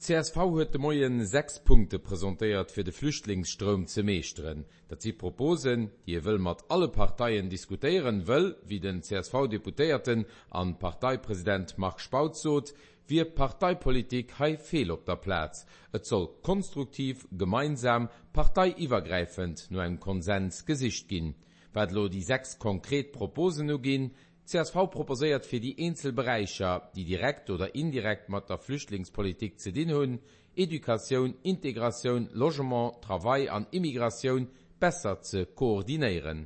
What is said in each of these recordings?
Csv huet de Moien 6 Punkte presentéiert fir de Flüchtlingsstroum ze meeschteren. Dat si Proposen, déi ee wëll mat alle Parteien diskutéieren wëll. Wéi den CSV-Deputéierten an Parteipresident Marc Spautz sot, wier Parteipolitik hei feel op der Plaz. Et soll konstruktiv, gemeinsam, parteiiwwergräifend no engem Konsens gesicht ginn. Wat elo déi 6 konkret Proposen uginn, Csv proposéiert fir déi eenzel Beräicher, déi direkt oder indirekt mat der Flüchtlingspolitik ze dinn hunn, Educatioun, Integratioun, Logement, Travail an Immigratioun, besser ze koordinéieren.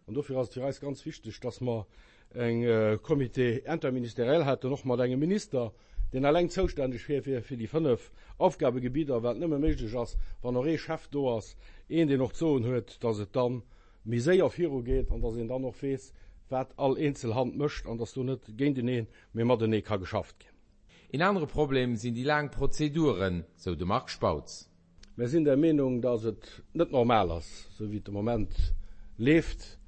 An dofir ass et fir eis ganz wichteg, dass mer eng Comité interministériel hätten, och mat engem Minister, deen eleng zoustänneg wier fir déi 5 Aufgabegebidder, wat nëmme méiglech ass, wann och ee Chef do ass, een, deen och d'Soen huet, dass et dann méi séier virugeet an dass een dann och weess, wat all eenzel Hand mécht an dass do net géinteneen, mee matenee ka geschafft ginn. Een anere Problem sinn déi laang Prozeduren, sou de Marc Spautz. Mär sinn der Meenung, dass et net normal ass, sou wéi et de Moment leeft,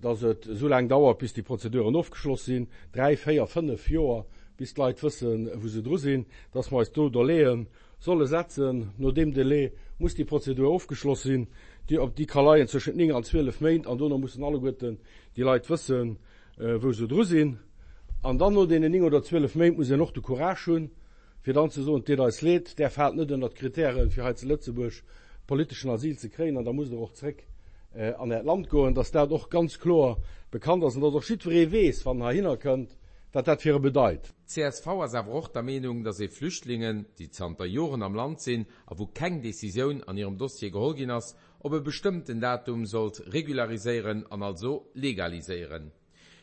dass et esou laang dauert, bis déi Prozeduren ofgeschloss sinn, dräi, véier, fënnef Joer, bis d'Leit wëssen, wou se dru sinn, dass mer eis do Delaien solle setzen. No deem Delai muss déi Prozedur ofgeschloss sinn. Déi, op déi ka leien tëschent 9 an 12 Méint an dono mussen alleguerten déi Leit wëssen, wou se dru sinn. An dann no deenen 9 oder 12 Méint muss een och de Courage hunn, fir dann ze soen, Et deet eis leed, där faalt net ënnert d'Kritären, fir hei zu Lëtzebuerg politeschen Asyl ze kréien an da musst Der och zréck an Äert Land goen. Dass dat och ganz kloer bekannt ass an dass och jiddweree weess, wann en heihinner kënnt, wat dat fir e bedeit. Csv ass awer och der Meenung, datt ee Flüchtlingen, déi zanter Joren am Land sinn a wou keng Decisioun an hirem Dossier geholl ginn ass, op e bestëmmten Datum sollt regulariséieren an also legaliséieren.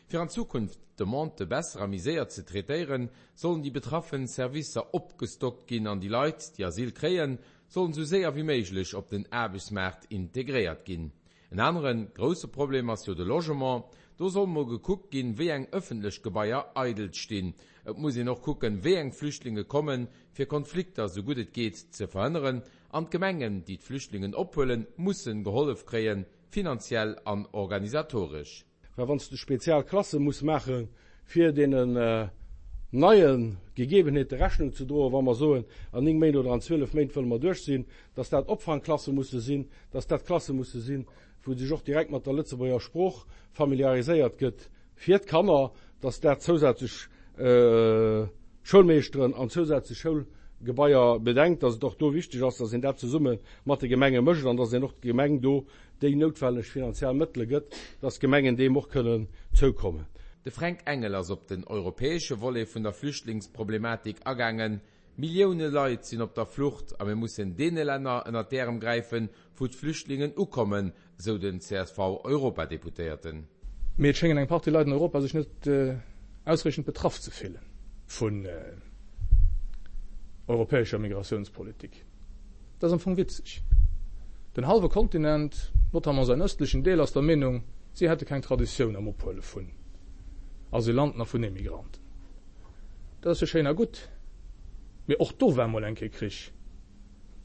Fir an Zukunft d'Demandë besser a méi séier ze traitéieren, sollen déi betraffen Servicer opgestockt ginn an déi Leit, déi Asyl kréien, sollen esou séier wéi méiglech op den Aarbechtsmaart integréiert ginn. En anere grousse Problem ass jo de Logement. Do soll mol gekuckt ginn, wéi eng ëffentlech Gebaier eidel stinn. Et muss een och kucken, wéi eng Flüchtlinge kommen, fir Konflikter sou gutt et geet ze verhënneren. An d'Gemengen, déi d'Flüchtlingen ophuelen, mussen gehollef kréien, finanziell an organisatoresch. Well wann s de spezial Klasse muss maache fir deenen neie Gegebenheete Rechnung ze droen, wa mer soen, an 9 Méint oder an 12 Méint wëlle mer duerch sinn, dass dat Opfangklasse musse sinn, dass dat Klasse musse sinn, wou sech och direkt mat der Lëtzebuerger Sprooch familiariséiert gëtt fir d'Kanner, dass dat zousätzlech Schoulmeeschteren an zousätzlech Schoulgebaier bedenkt, dass et och do wichteg ass, dass een dat zesumme mat de Gemenge mécht an dass een och d'Gemeng do déi noutwenneg finanziell Mëttele gëtt, dass d'Gemengen deem och kënnen zoukommen. De Fränk Engel ass op den europäesche Volet vun der Flüchtlingsproblematik agaangen. Millioune Leit sinn op der Flucht a mir mussen deene Länner ënnert d'Ärem gräifen, wou d'Flüchtlingen ukommen, sou den CSV-Europadeputéierten. Mee et schéngen eng Partie Leit an Europa sech net ausreechend betraff ze fillen vun europäescher Migratiounspolitik. Dat ass am Fong witzeg. Den hallwe Kontinent, notamment säin ëstlechen Deel, ass der Meenung, si hätte keng Traditioun am Ophuele vun Asylanten a vun Emigranten. Dat ass jo schéin a gutt, mee och do war mol eng Kéier Krich,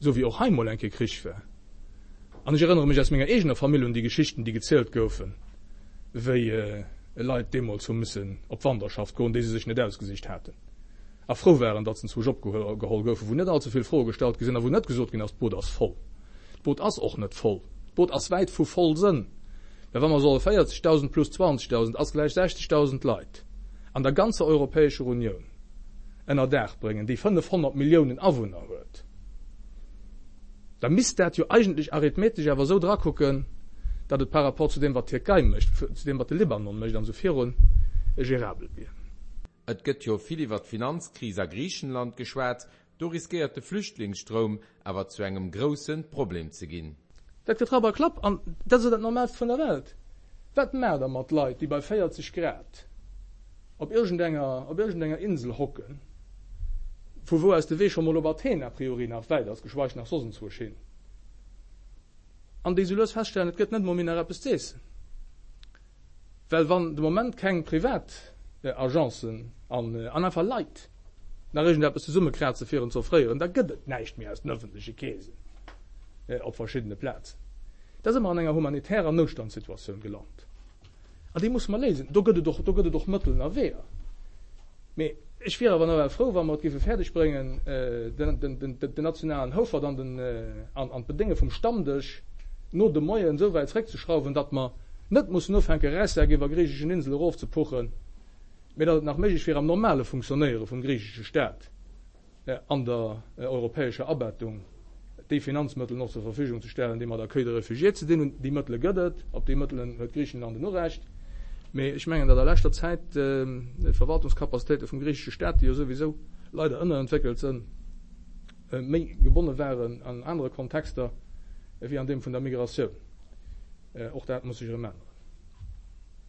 esou wéi och hei mol eng Kéier Krich war. An ech erënnere mech aus menger eegener Famill un déi Geschichten, déi gezielt goufen, wéi Leit deemools hu missen op Wanderschaft goen, déi se sech net ausgesicht haten. A frou waren, datt se enzwousch opgeholl goufen, wou net allze vill Froe gestallt gi sinn a wou net gesot ginn ass, d'Boot ass voll. D'Boot ass och net voll. D'Boot ass wäit vu voll sënn. Mä wa mer solle 40.000 plus 20.000 ass gläich 60.000 Leit an der ganzer Europäescher Unioun ënner Daach bréngen, déi 500 Milliounen Awunner huet, da misst dat jo eigentlech arithmetesch awer esou drakucken, datt et par rapport zu deem, wat d'Tierkei mécht, zu deem, wat de Libanon mécht an esou virun, gérabel wier. Et gëtt jo vill iwwer d'Finanzkris a Griichenland geschwat, do riskéiert de Flüchtlingsstroum awer zu engem grousse Problem ze ginn. Dat gëtt Rapp a Klapp an dat ass jo dat Normaalst vun der Welt. Wat maacht der mat Leit, déi bei 40 Grad op iergendenger op iergendenger Insel hocken, vu wou aus de Wee scho mol op Athen a priori nach wäit ass, geschweig nach soss enzwousch hin, an déi sou lues feststellen, et gëtt net mol méi nach eppes z'eessen? Well wann de Moment keng privat Agencen an einfach Leit nach iergendeppes zesummekraze fir en z'offréieren, da gëtt et näischt méi aus den ëffentleche Keesen op verschiddene Plazen. Da si mer an enger humanitärer Noutstandssituatioun gelant an déi musse mer léisen. Do gëtt et och, do gëtt et och Mëttelen a Weeër. Mee. Ech wier awer nawell frou, wa mer et géife fäerdeg bréngen, den nationalen Houfert an d'Bedénge vum Stammdësch no de Moien esou wäit zréckzeschrauwen, datt mer net mussen ufänke Räissäck iwwer griicheschen Insele erofzepuchen, mee datt et nach méiglech wier am normale Funktionéiere vum griichesche Staat an der europäescher Abettung déi Finanzmëttelen och zur Verfügung ze stellen, déi mat Accueil de réfugiés ze dinn hunn. Déi Mëttele gëtt et, op déi Mëttelen huet Griichenland en Urecht. Mee ech mengen, datt a leschter Zäit d'Verwaltungscapacitéite vum griichesche Staat, déi jo souwisou leider ënnerentwéckelt sënn, méi gebonne waren an anere Kontexter wéi an deem vun der Migratioun. Och dat muss sech erëm änneren.